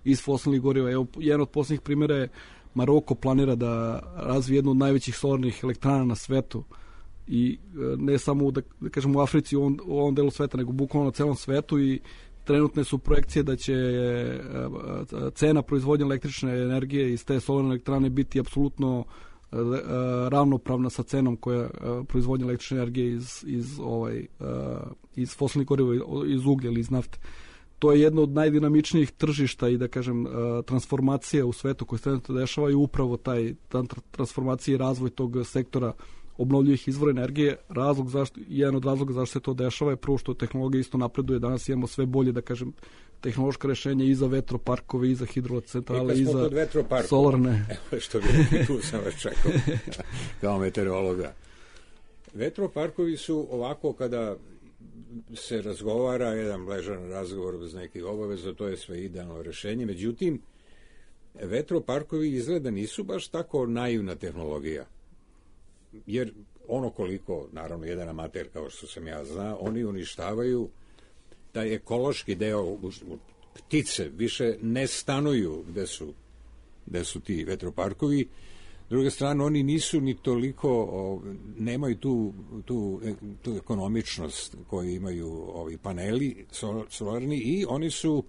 iz fosilnih goriva. Evo, jedan od posljednjih primjera je Maroko planira da razvije jednu od najvećih solarnih elektrana na svetu i ne samo da, da kažem u Africi u ovom, u ovom delu sveta, nego bukvalno na celom svetu, i trenutne su projekcije da će cena proizvodnje električne energije iz te solarne elektrane biti apsolutno ravnopravna sa cenom koja proizvodnje električne energije iz, iz, ovaj, iz fosilnih goriva, iz uglja ili iz nafte. To je jedno od najdinamičnijih tržišta i, da kažem, transformacija u svetu koje se trenutno dešava i upravo taj transformacija i razvoj tog sektora obnovljivih izvora energije. Razlog zašto, jedan od razloga zašto se to dešava je prvo što tehnologija isto napreduje. Danas imamo sve bolje, da kažem, tehnološka rešenja i za vetroparkove, i za hidrocentrale, i za solarne. Evo što bi rekli, tu sam vas čekao kao meteorologa. Vetroparkovi su ovako kada se razgovara, jedan ležan razgovor bez nekih obaveza, to je sve idealno rešenje. Međutim, vetroparkovi izgleda nisu baš tako naivna tehnologija. Jer ono koliko, naravno, jedan amater kao što sam ja zna, oni uništavaju taj ekološki deo, ptice više ne stanuju gde su, gde su ti vetroparkovi. S druge strane, oni nisu ni toliko, nemaju tu, tu, tu ekonomičnost koju imaju ovi paneli solarni i oni su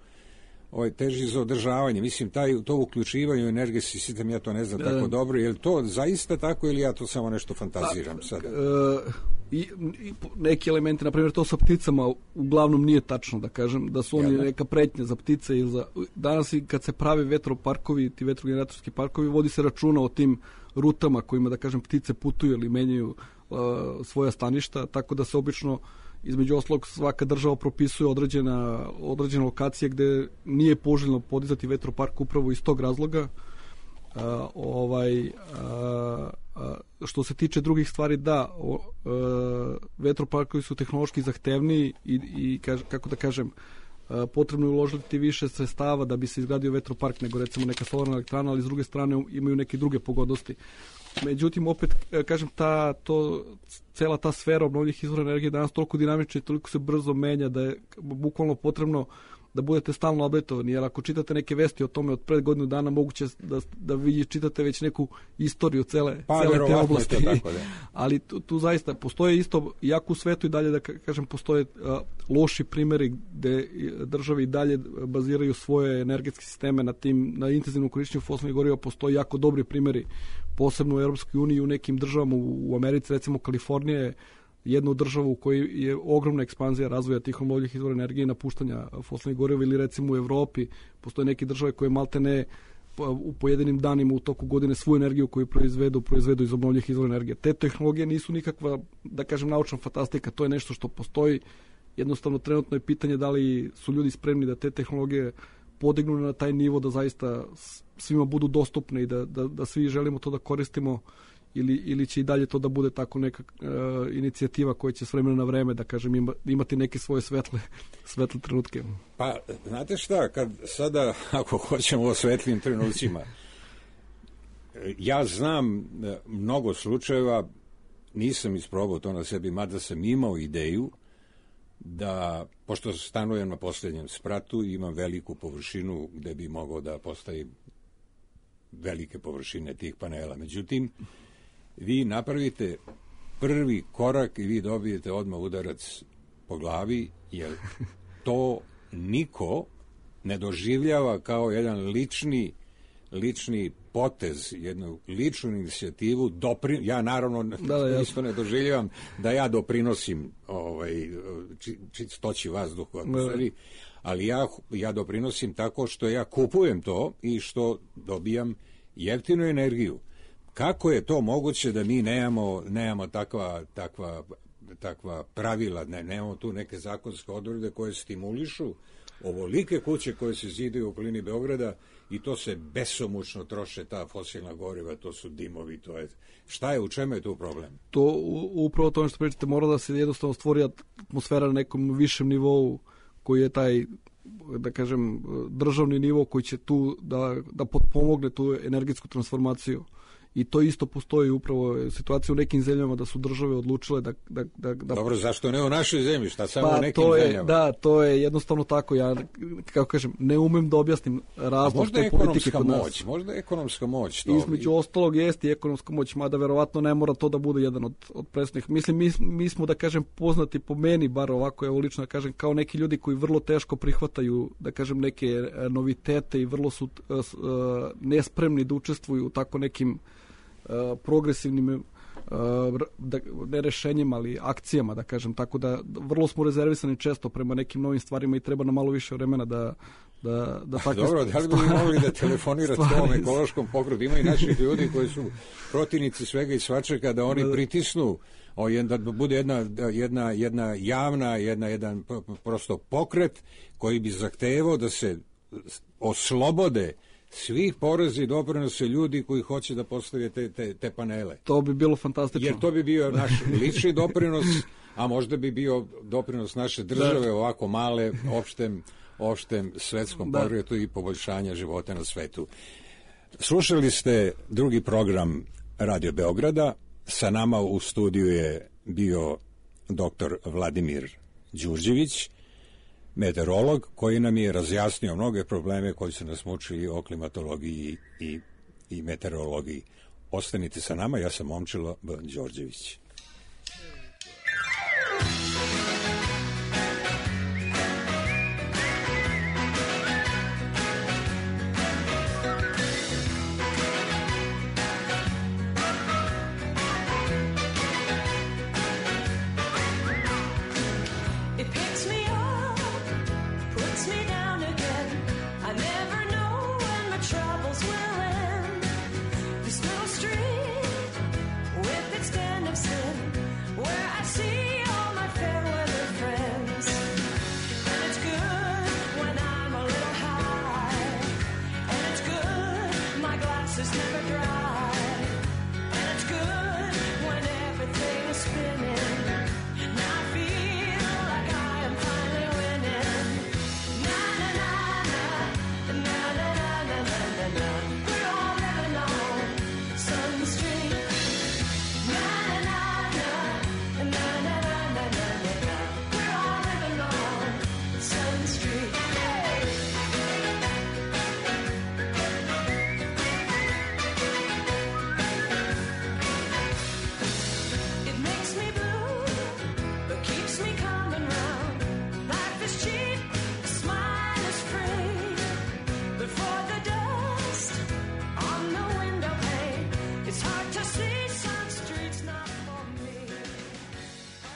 ovaj, teži za održavanje. Mislim, taj, to uključivanje u energetski sistem, ja to ne znam tako dobro. Je li to zaista tako ili ja to samo nešto fantaziram pa, sada? E, i, i neki elementi, na primjer, to sa pticama uglavnom nije tačno, da kažem, da su oni neka pretnja za ptice. Ili za, danas kad se pravi vetroparkovi, ti vetrogeneratorski parkovi, vodi se računa o tim rutama kojima, da kažem, ptice putuju ili menjaju uh, svoja staništa, tako da se obično između ostalog svaka država propisuje određena, određena lokacije gde nije poželjno podizati vetropark upravo iz tog razloga. A, ovaj, a, a, što se tiče drugih stvari, da, o, a, vetroparkovi su tehnološki zahtevniji i, i kaž, kako da kažem, a, potrebno je uložiti više sredstava da bi se izgradio vetropark nego recimo neka solarna elektrana, ali s druge strane imaju neke druge pogodnosti. Međutim, opet, kažem, ta, to, cela ta sfera obnovljivih izvora energije danas toliko dinamična i toliko se brzo menja da je bukvalno potrebno da budete stalno updateovani, jer ako čitate neke vesti o tome od pred godinu dana, moguće da, da vi čitate već neku istoriju cele, pa, cele te oblasti. Tako, da. Ali tu, tu zaista postoje isto, jako u svetu i dalje, da kažem, postoje uh, loši primjeri gde države i dalje baziraju svoje energetske sisteme na tim, na intenzivnom korišćenju fosilnih goriva. Postoje jako dobri primjeri, posebno u Europskoj uniji i u nekim državama, u, u Americi, recimo Kalifornija je jednu državu u kojoj je ogromna ekspanzija razvoja tih obnovljivih izvora energije i napuštanja fosilnih goriva, ili recimo u Evropi postoje neke države koje malte ne u pojedinim danima u toku godine svu energiju koju proizvedu, proizvedu iz obnovljivih izvora energije. Te tehnologije nisu nikakva, da kažem, naučna fantastika, to je nešto što postoji. Jednostavno, trenutno je pitanje da li su ljudi spremni da te tehnologije podignu na taj nivo da zaista svima budu dostupne i da, da, da svi želimo to da koristimo, ili, ili će i dalje to da bude tako neka uh, inicijativa koja će s vremena na vreme, da kažem, ima, imati neke svoje svetle, svetle trenutke. Pa, znate šta, kad sada, ako hoćemo o svetlim trenucima, ja znam mnogo slučajeva, nisam isprobao to na sebi, mada sam imao ideju da, pošto stanujem na posljednjem spratu, imam veliku površinu gde bi mogao da postavim velike površine tih panela. Međutim, vi napravite prvi korak i vi dobijete odmah udarac po glavi, jer to niko ne doživljava kao jedan lični lični potez, jednu ličnu inicijativu. Dopri... Ja naravno da, da, isto ne doživljavam da ja doprinosim ovaj, čistoći vazduha u atmosferi, ali ja, ja doprinosim tako što ja kupujem to i što dobijam jeftinu energiju. Kako je to moguće da mi nemamo, nemamo takva, takva, takva pravila, ne, nemamo tu neke zakonske odredbe koje stimulišu ovolike kuće koje se zidaju u okolini Beograda i to se besomučno troše, ta fosilna goriva, to su dimovi, to je... Šta je, u čemu je tu problem? To, upravo to što pričate, mora da se jednostavno stvori atmosfera na nekom višem nivou koji je taj, da kažem, državni nivo koji će tu da, da potpomogne tu energetsku transformaciju. I to isto postoji upravo situacija u nekim zemljama da su države odlučile da... da, da, da... Dobro, zašto ne u našoj zemlji? Šta samo pa, u nekim to je, zemljama? Da, to je jednostavno tako. Ja, kako kažem, ne umem da objasnim razlog te politike kod nas. Moć, možda je ekonomska moć. To između ostalog jeste i ekonomska moć, mada verovatno ne mora to da bude jedan od, od presnih. Mislim, mi, mi smo, da kažem, poznati po meni, bar ovako, evo lično da kažem, kao neki ljudi koji vrlo teško prihvataju, da kažem, neke novitete i vrlo su uh, nespremni da učestvuju u tako nekim Uh, progresivnim uh, da, ne rešenjima, ali akcijama, da kažem, tako da vrlo smo rezervisani često prema nekim novim stvarima i treba nam malo više vremena da da, da takve Dobro, da li bi mogli da telefonirate ovom ekološkom pokretu? Ima i naših ljudi koji su protivnici svega i svačega, da oni pritisnu o, da bude jedna, jedna, jedna javna, jedna, jedan prosto pokret koji bi zahtevao da se oslobode svih poreza i doprinose ljudi koji hoće da postave te, te, te panele. To bi bilo fantastično. Jer to bi bio naš lični doprinos, a možda bi bio doprinos naše države, da. Ovako male, opštem, opštem svetskom pokretu i poboljšanja života na svetu. Slušali ste drugi program Radio Beograda. Sa nama u studiju je bio doktor Vladimir Đurđević, meteorolog, koji nam je razjasnio mnoge probleme koji su nas mučili o klimatologiji i, i meteorologiji. Ostanite sa nama, ja sam Momčilo B. Đorđević.